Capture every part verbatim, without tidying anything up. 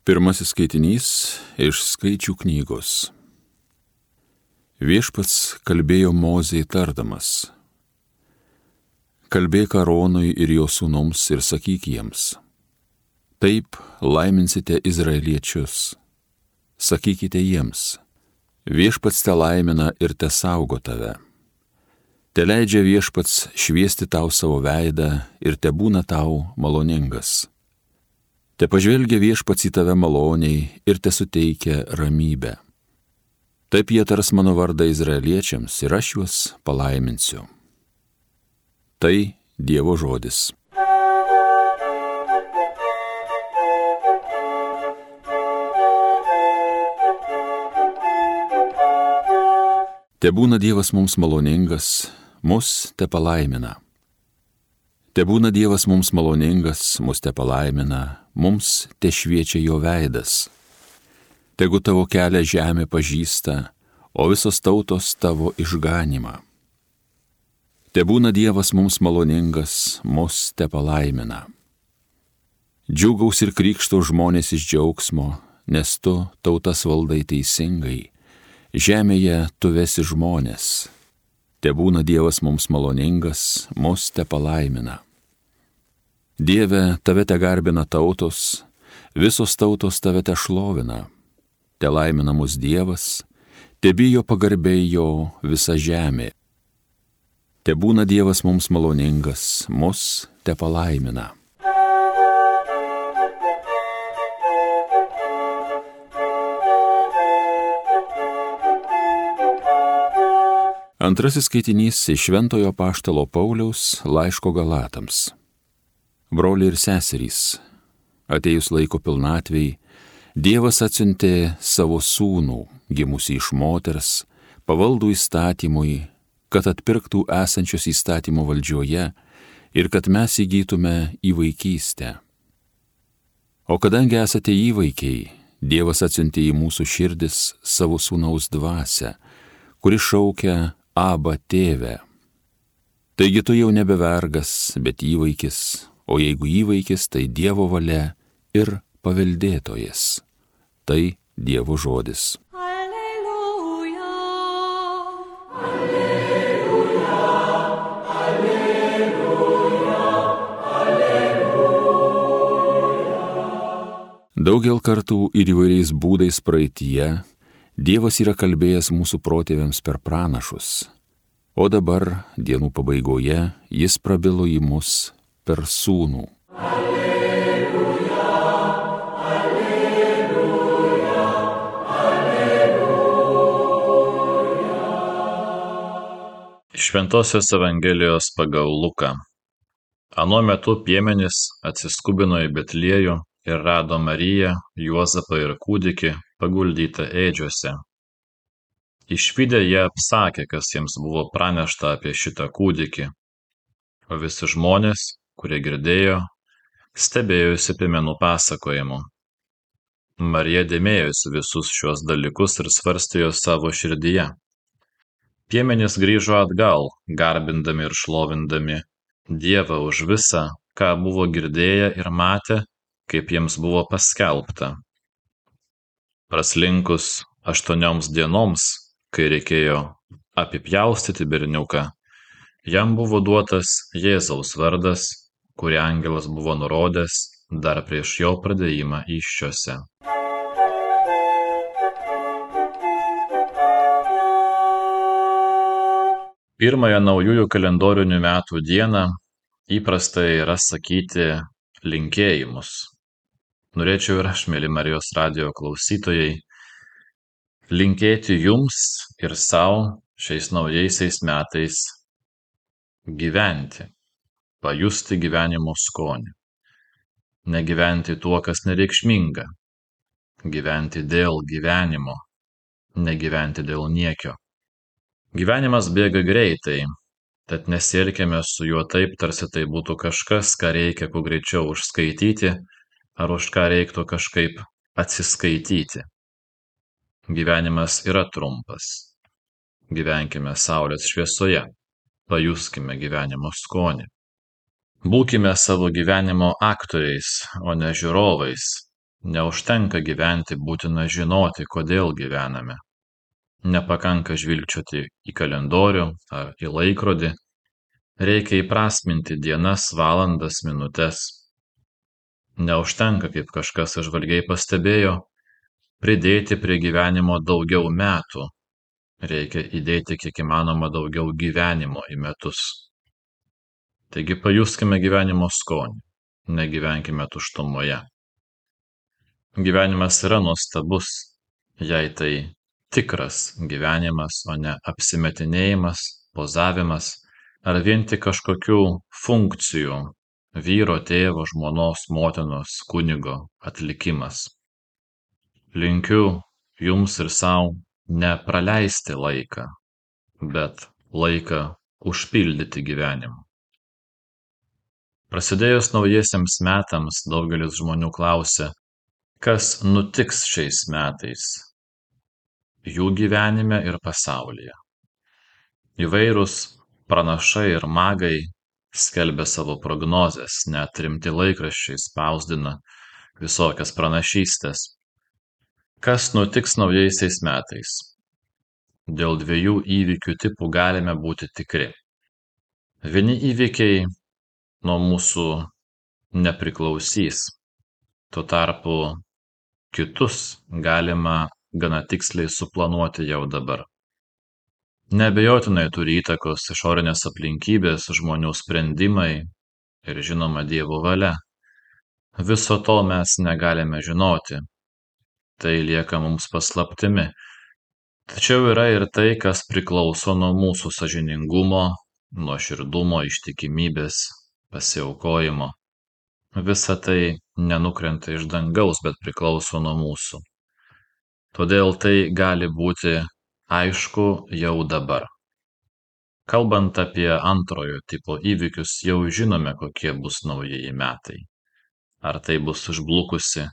Pirmasis skaitinys iš Skaičių knygos. Viešpats kalbėjo Mozei tardamas: Kalbėk Aronui ir jo sūnums ir sakyk jiems: Taip laiminsite izraeliečius. Sakykite jiems: Viešpats te laimina ir te saugo tave. Te leidžia viešpats šviesti tau savo veidą ir te būna tau maloningas. Te pažvelgia viešpats į tave maloniai ir te suteikia ramybę. Taip jie tars mano vardą izraeliečiams ir aš juos palaiminsiu. Tai Dievo žodis. Tebūna Dievas mums maloningas, mus te palaimina. Tebūna Dievas mums maloningas, mus te palaimina, mums te šviečia jo veidas. Tegu tavo kelią žemė pažįsta, o visos tautos tavo išganimą. Tebūna Dievas mums maloningas, mus te palaimina. Džiūgaus ir krykšto žmonės iš džiaugsmo, nes tu tautas valdai teisingai, žemėje tu vesi žmonės. Tebūna Dievas mums maloningas, mus te palaimina. Dieve, tave te garbina tautos, visos tautos tave te šlovina. Te laimina mus Dievas, te bijo pagarbiai jo visa žemė. Tebūna Dievas mums maloningas, mus te palaimina. Antrasis skaitinys iš Šventojo apaštalo Pauliaus laiško Galatams. Broliai ir seserys, atėjus laiko pilnatvei, Dievas atsiuntė savo sūnų, gimusį iš moters, pavaldų įstatymui, kad atpirktų esančius įstatymo valdžioje ir kad mes įgytume įvaikystę. O kadangi esate įvaikiai, Dievas atsiuntė į mūsų širdis savo sūnaus dvasią, kuri šaukia Aba tėve. Taigi tu jau nebe vergas, bet įvaikis, o jeigu įvaikis, tai Dievo valia ir paveldėtojas. Tai Dievo žodis. Alleluja, alleluja, alleluja, alleluja. Daugel kartų ir įvairiais būdais praeityje Dievas yra kalbėjęs mūsų protėviams per pranašus, o dabar, dienų pabaigoje, jis prabilo į mus per sūnų. Alleluja, alleluja, alleluja. Šventosios Evangelijos pagal Luką. Anuo metu piemenys atsiskubino į Betliejų ir rado Mariją, Juozapą ir kūdikį paguldytą ėdžiose. Išvydę jie apsakė, kas jiems buvo pranešta apie šitą kūdikį, o visi žmonės, kurie girdėjo, stebėjosi piemenų pasakojimu. Marija dėmėjosi visus šios dalykus ir svarstė juos savo širdyje. Piemenys grįžo atgal, garbindami ir šlovindami Dievą už visą, ką buvo girdėję ir matę, kaip jiems buvo paskelbta. Praslinkus aštuonioms dienoms, kai reikėjo apipjaustyti berniuką, jam buvo duotas Jėzaus vardas, kurį angelas buvo nurodęs dar prieš jo pradėjimą įsčiose. Pirmąją naujųjų kalendorinių metų dieną įprasta yra sakyti linkėjimus. Norėčiau ir aš, mėly Marijos radijo klausytojai, linkėti jums ir savo šiais naujaisiais metais gyventi, pajusti gyvenimo skonį. Negyventi tuo, kas nereikšminga, gyventi dėl gyvenimo, negyventi dėl niekio. Gyvenimas bėga greitai, tad nesielkime su juo taip, tarsi tai būtų kažkas, ką reikia kuo greičiau užskaityti, ar už ką reiktų kažkaip atsiskaityti. Gyvenimas yra trumpas. Gyvenkime saulės šviesoje, pajuskime gyvenimo skonį. Būkime savo gyvenimo aktoriais, o ne žiūrovais, Neužtenka gyventi, būtina žinoti, kodėl gyvename. Nepakanka žvilgčioti į kalendorių ar į laikrodį, reikia įprasminti dienas, valandas, minutes. Neužtenka, kaip kažkas įžvalgiai pastebėjo, pridėti prie gyvenimo daugiau metų. Reikia įdėti kiek įmanoma daugiau gyvenimo į metus. Taigi pajuskime gyvenimo skonį, negyvenkime tuštumoje. Gyvenimas yra nuostabus, jei tai tikras gyvenimas, o ne apsimetinėjimas, pozavimas ar vien tik kažkokių funkcijų vyro, tėvo, žmonos, motinos, kunigo atlikimas. Linkiu jums ir savo nepraleisti laiką, bet laiką užpildyti gyvenimu. Prasidėjus naujiesiems metams daugelis žmonių klausia, kas nutiks šiais metais jų gyvenime ir pasaulyje. Įvairūs pranašai ir magai skelbia savo prognozes, net rimti laikraščiai spausdina visokias pranašystės. Kas nutiks naujaisiais metais? Dėl dviejų įvykių tipų galime būti tikri. Vieni įvykiai nuo mūsų nepriklausys, tuo tarpu kitus galima gana tiksliai suplanuoti jau dabar. Neabejotinai turi įtakos išorinės aplinkybės, žmonių sprendimai ir žinoma Dievo valia. Viso to mes negalime žinoti. Tai lieka mums paslaptimi. Tačiau yra ir tai, kas priklauso nuo mūsų sąžiningumo, nuoširdumo, ištikimybės, pasiaukojimo. Visa tai nenukrenta iš dangaus, bet priklauso nuo mūsų. Todėl tai gali būti aišku jau dabar. Kalbant apie antrojo tipo įvykius, jau žinome, kokie bus naujieji metai. Ar tai bus užblukusi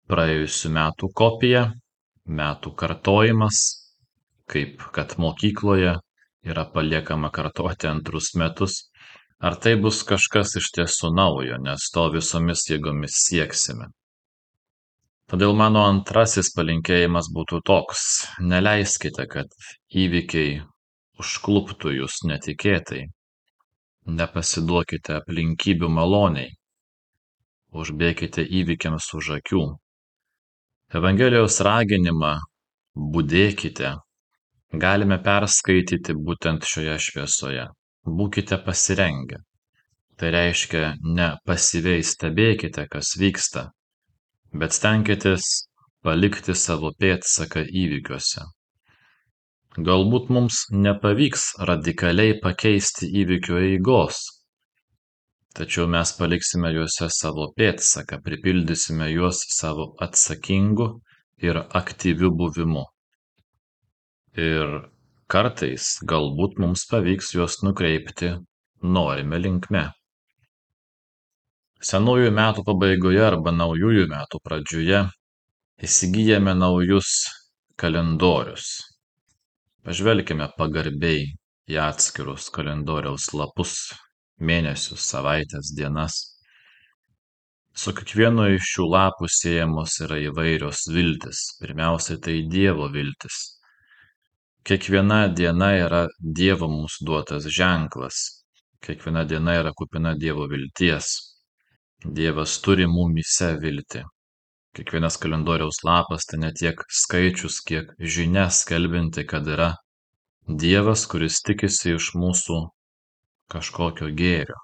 praėjusių metų kopija, metų kartojimas, kaip kad mokykloje yra paliekama kartoti antrus metus, ar tai bus kažkas iš tiesų naujo, nes to visomis jėgomis sieksime. Todėl mano antrasis palinkėjimas būtų toks: neleiskite, kad įvykiai užkluptų jūs netikėtai. Nepasiduokite aplinkybių maloniai. Užbėkite įvykiams už akių. Evangelijos raginimą budėkite galime perskaityti būtent šioje šviesoje. Būkite pasirengę. Tai reiškia, ne pasyviai stebėkite, kas vyksta, bet stenkitės palikti savo pėdsaką įvykiuose. Galbūt mums nepavyks radikaliai pakeisti įvykių eigos, tačiau mes paliksime juose savo pėdsaką, pripildysime juos savo atsakingu ir aktyviu buvimu. Ir kartais galbūt mums pavyks juos nukreipti norime linkme. Senųjų metų pabaigoje arba naujųjų metų pradžioje įsigijame naujus kalendorius. Pažvelkime pagarbiai į atskirus kalendoriaus lapus, mėnesius, savaitės, dienas. Su kiekvienu iš šių lapų siejamos yra įvairios viltis. Pirmiausiai tai Dievo viltis. Kiekviena diena yra Dievo mums duotas ženklas. Kiekviena diena yra kupina Dievo vilties. Dievas turi mumyse viltį. Kiekvienas kalendoriaus lapas tai ne tiek skaičius, kiek žinia skelbinti, kad yra Dievas, kuris tikisi iš mūsų kažkokio gėrio.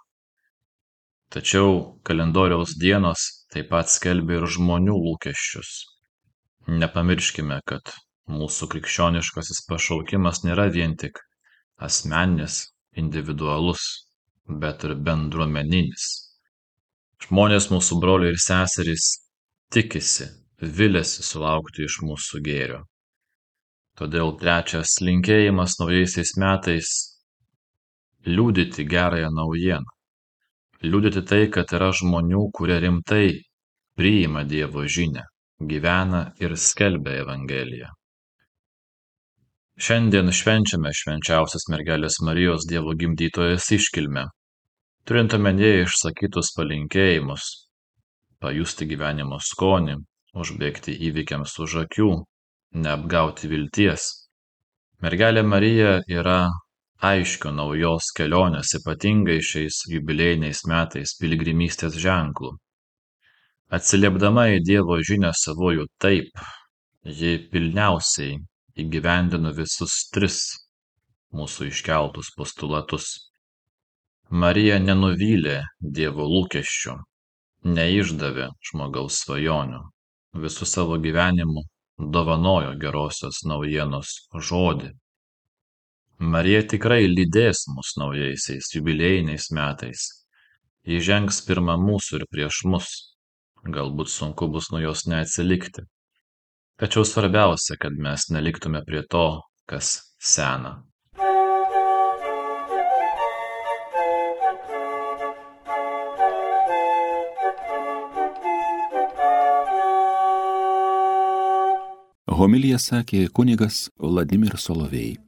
Tačiau kalendoriaus dienos taip pat skelbia ir žmonių lūkesčius. Nepamirškime, kad mūsų krikščioniškasis pašaukimas nėra vien tik asmeninis, individualus, bet ir bendruomeninis. Žmonės, mūsų broliai ir seserys, tikisi, viliasi sulaukti iš mūsų gėrio. Todėl trečias linkėjimas naujaisiais metais – liudyti gerąją naujieną. Liudyti tai, kad yra žmonių, kurie rimtai priima Dievo žinią, gyvena ir skelbia Evangeliją. Šiandien švenčiame švenčiausios mergelės Marijos Dievo gimdytojos iškilmę. Turint omenyje išsakytus palinkėjimus, pajusti gyvenimo skonį, užbėgti įvykiams už akių, neapgauti vilties. Mergelė Marija yra aiškiu naujos kelionės, ypatingai šiais jubiliejiniais metais piligrimystės ženklų. Atsiliepdama į Dievo žinią savojų taip, ji pilniausiai įgyvendino visus tris mūsų iškeltus postulatus. Marija nenuvylė Dievo lūkesčių, neišdavė žmogaus svajonių, visų savo gyvenimu dovanojo gerosios naujienos žodį. Marija tikrai lydės mus naujaisiais jubiliejiniais metais. Ji žengs pirma mūsų ir prieš mus. Galbūt sunku bus nuo jos neatsilikti. Tačiau svarbiausia, kad mes neliktume prie to, kas sena. Homiliją sakė kunigas Vladimir Solovej.